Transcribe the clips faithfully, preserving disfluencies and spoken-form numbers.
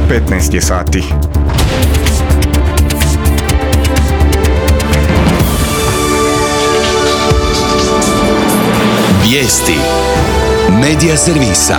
petnaest je sati. Vijesti Medija servisa.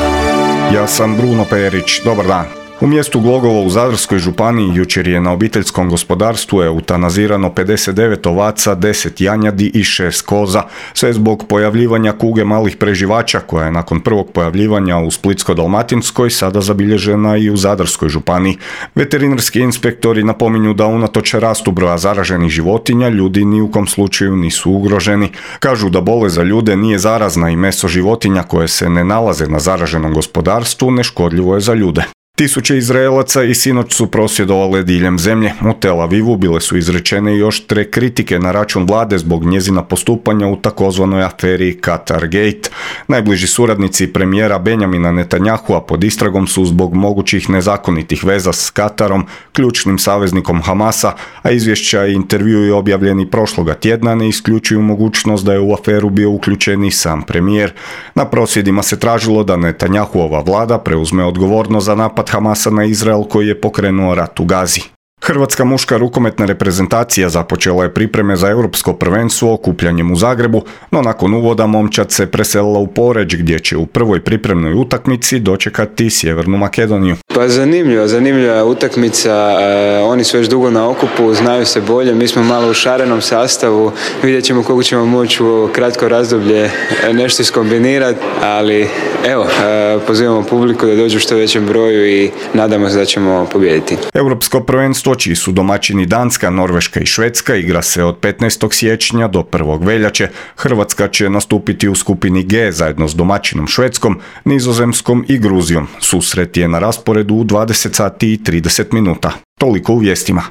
Ja sam Bruno Perić, dobar dan. U mjestu Glogovo u Zadarskoj županiji jučer je na obiteljskom gospodarstvu eutanazirano pedeset devet ovaca, deset janjadi i šest koza, sve zbog pojavljivanja kuge malih preživača koja je nakon prvog pojavljivanja u Splitsko-dalmatinskoj sada zabilježena i u Zadarskoj županiji. Veterinarski inspektori napominju da unatoč rastu broja zaraženih životinja ljudi ni u kom slučaju nisu ugroženi. Kažu da bolest za ljude nije zarazna i meso životinja koje se ne nalaze na zaraženom gospodarstvu neškodljivo je za ljude. Tisuće Izraelaca i sinoć su prosvjedovale diljem zemlje. U Tel Avivu bile su izrečene i oštre kritike na račun vlade zbog njezina postupanja u takozvanoj aferi Qatar Gate. Najbliži suradnici premijera Benjamina Netanyahua pod istragom su zbog mogućih nezakonitih veza s Katarom, ključnim saveznikom Hamasa, a izvješća i intervjui objavljeni prošloga tjedna ne isključuju mogućnost da je u aferu bio uključen i sam premijer. Na prosvjedima se tražilo da Netanyahuova vlada preuzme odgovornost za napad Hamasa na Izrael koji je pokrenuo rat u Gazi. Hrvatska muška rukometna reprezentacija započela je pripreme za europsko prvenstvo okupljanjem u Zagrebu, no nakon uvoda momčad se preselila u Poreč gdje će u prvoj pripremnoj utakmici dočekati Sjevernu Makedoniju. Pa zanimljiva, zanimljiva utakmica, e, oni su već dugo na okupu, znaju se bolje, mi smo malo u šarenom sastavu, vidjet ćemo koliko ćemo moći u kratko razdoblje nešto iskombinirati, ali evo, e, pozivamo publiku da dođu u što većem broju i nadamo se da ćemo pobijediti. Europsko prvenstvo, čiji su domaćini Danska, Norveška i Švedska, igra se od petnaestog siječnja do prvog veljače. Hrvatska će nastupiti u skupini G zajedno s domaćinom Švedskom, Nizozemskom i Gruzijom. Susret je na rasporedu u dvadeset sati i trideset minuta. Toliko u vijestima.